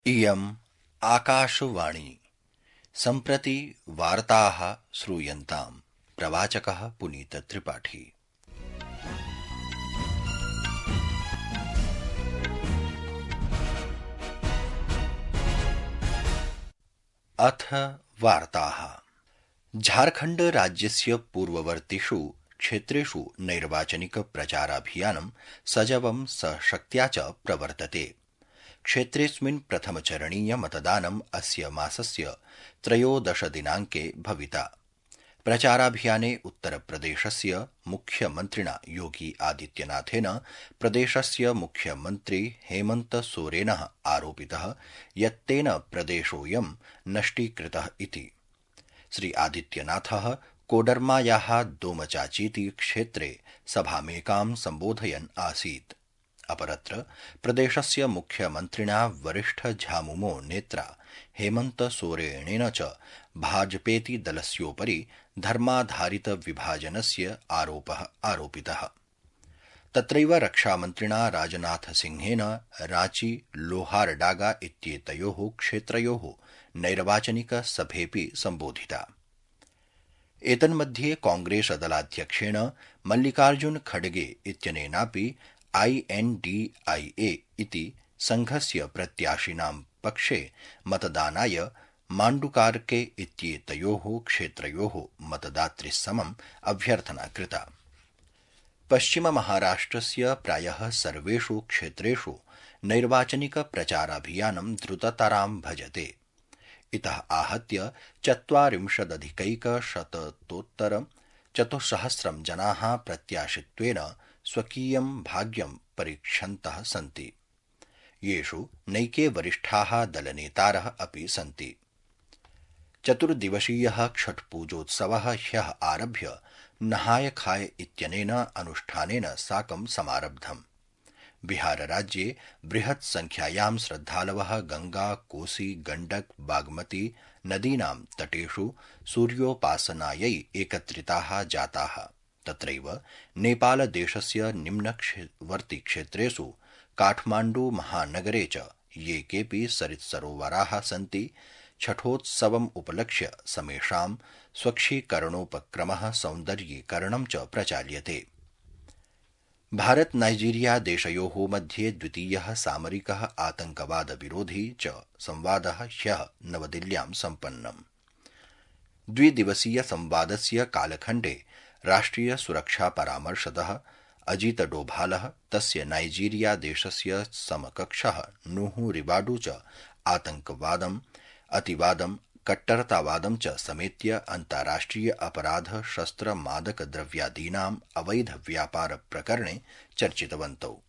इयम् आकाशवाणी सम्प्रति वार्ताः श्रूयन्ताम्। प्रवाचकः पुनीत त्रिपाठी। अथ वार्ताः। झारखण्ड राज्यस्य पूर्ववर्तिषु क्षेत्रेषु नैर्वाचनिक प्रचाराभियानं सजवं सशक्त्या च प्रवर्तते। क्षेत्रेऽस्मिन् प्रथमचरणीय मतदानम् अस्य मासस्य 13 दिनाङ्के भविता। प्रचाराभियाने उत्तरप्रदेशस्य मुख्यमन्त्रिणा योगी आदित्यनाथेन प्रदेशस्य मुख्यमन्त्री हेमन्त सोरेनः आरोपितः यत् तेन प्रदेशोऽयं नष्टीकृतः इति। श्री आदित्यनाथः कोडरमायाः दोमचाचीति क्षेत्रे सभामेकां सम्बोधयन् आसीत्। अपरत्र प्रदेशस्य मुख्यमन्त्रिणा वरिष्ठ झामुमो नेत्रा हेमन्त सोरेनेन च भाजपेति दलस्योपरि धर्माधारित विभाजनस्य आरोपः आरोपितः। तत्रैव रक्षामन्त्रिणा राजनाथ सिंहेन रांची लोहारडागा इत्येतयोः क्षेत्रयोः नैर्वाचनिक सभेऽपि सम्बोधिता। एतन्मध्ये कांग्रेसदलाध्यक्षेण मल्लिकार्जुन खड़गे इत्यनेनापि INDIA इति संघस्य प्रत्याशिनां पक्षे मतदानाय माण्डुकार्के इत्येतयोः क्षेत्रयोः मतदातृसमम् अभ्यर्थना कृता। पश्चिममहाराष्ट्रस्य प्रायः सर्वेषु क्षेत्रेषु नैर्वाचनिक प्रचाराभियानं द्रुततरां भजते। इतः आहत्य 40,000-शतोत्तर-400 जनाः प्रत्याशित्वेन स्वकीयं भाग्यं परीक्षन्तः सन्ति। येषु नैके वरिष्ठाः दलनेतारः अपि सन्ति। चतुर्दिवसीयः छठपूजोत्सवः ह्यः आरभ्य नहाय खाय इत्यनेन अनुष्ठानेन साकं समारब्धम्। बिहारराज्ये बृहत् संख्यायां श्रद्धालवः गंगा, कोसी, गण्डक, बागमती नदीनां तटेषु सूर्योपासनायै एकत्रिताः जाताः। तत्रैव नेपालदेशस्य निम्नवर्ति क्षेत्रेषु काठमाण्डू महानगरे च ये केऽपि सरित्सरोवराः सन्ति छठोत्सवम् उपलक्ष्य समेषां स्वच्छीकरणोपक्रमः सौन्दर्यीकरणं च प्रचाल्यते। भारत नाइजीरिया देशयोः मध्ये द्वितीयः सामरिकः आतंकवाद विरोधी च संवादः ह्यः नवदिल्ल्यां सम्पन्नम्। द्विदिवसीय संवादस्य कालखण्डे राष्ट्रिय सुरक्षा परामर्शदः अजीत डोभालः तस्य नाइजीरिया देशस्य समकक्षः नूहु रिबाडू च आतंकवादम्, अतिवादं, कट्टरतावादं च समेत्य अन्ताराष्ट्रिय अपराध शस्त्र मादक द्रव्यादीनाम् अवैध व्यापार प्रकरणे चर्चितवन्तौ।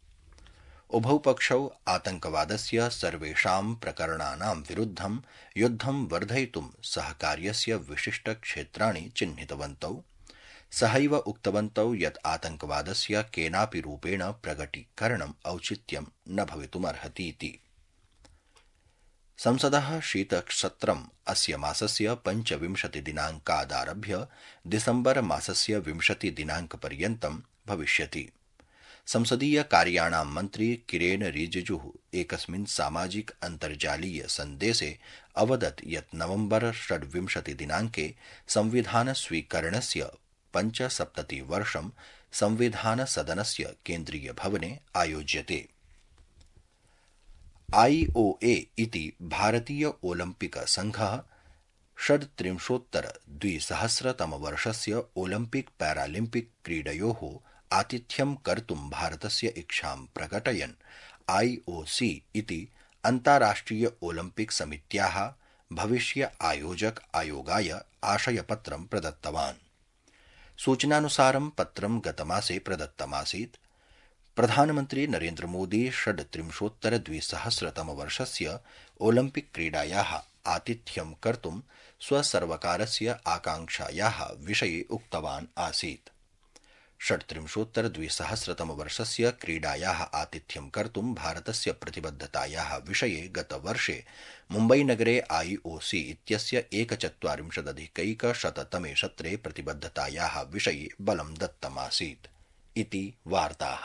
उभौ पक्षौ आतंकवादस्य सर्वेषां प्रकरणानां विरुद्धं युद्धं वर्धयितुं सहकार्यस्य विशिष्ट क्षेत्राणि चिह्नितवन्तौ। सहैव उक्तवन्तौ यत् आतंकवादस्य केनापि रूपेण प्रगटीकरणम् औचित्यं न भवितुमर्हतीति। संसदः शीतसत्रम् अस्य मासस्य 25 दिनाङ्कादारभ्य दिसम्बर मासस्य 20 दिनाङ्कपर्यन्तं भविष्यति। संसदीय कार्याणां मन्त्री किरेन रिजिजुः एकस्मिन् सामाजिक अन्तर्जालीय सन्देशे अवदत् यत् नवम्बर 26 दिनाङ्के संविधान स्वीकरणस्य 75 वर्षं संविधानसदनस्य केन्द्रीय भवने आयोज्यते। IOA इति भारतीय ओलम्पिक संघः 37-2000 ओलम्पिक पैरालिम्पिक क्रीडयोः आतिथ्यं कर्तुं भारतस्य इच्छां प्रकटयन् IOC इति अन्ताराष्ट्रिय ओलम्पिक समित्याः भविष्य आयोजक आयोगाय आशयपत्रं प्रदत्तवान्। सूचनानुसारं पत्रं गतमासे प्रदत्तमासीत्। प्रधानमन्त्री नरेन्द्र मोदी 37-2000 ओलम्पिक क्रीडायाः आतिथ्यं कर्तुं स्वसर्वकारस्य आकांक्षायाः विषये उक्तवान् आसीत्। 37-2000 क्रीडायाः आतिथ्यं कर्तुं भारतस्य प्रतिबद्धतायाः विषये गतवर्षे मुम्बईनगरे IOC इत्यस्य 41-100 सत्रे प्रतिबद्धतायाः विषये बलं दत्तमासीत् इति वार्ताः।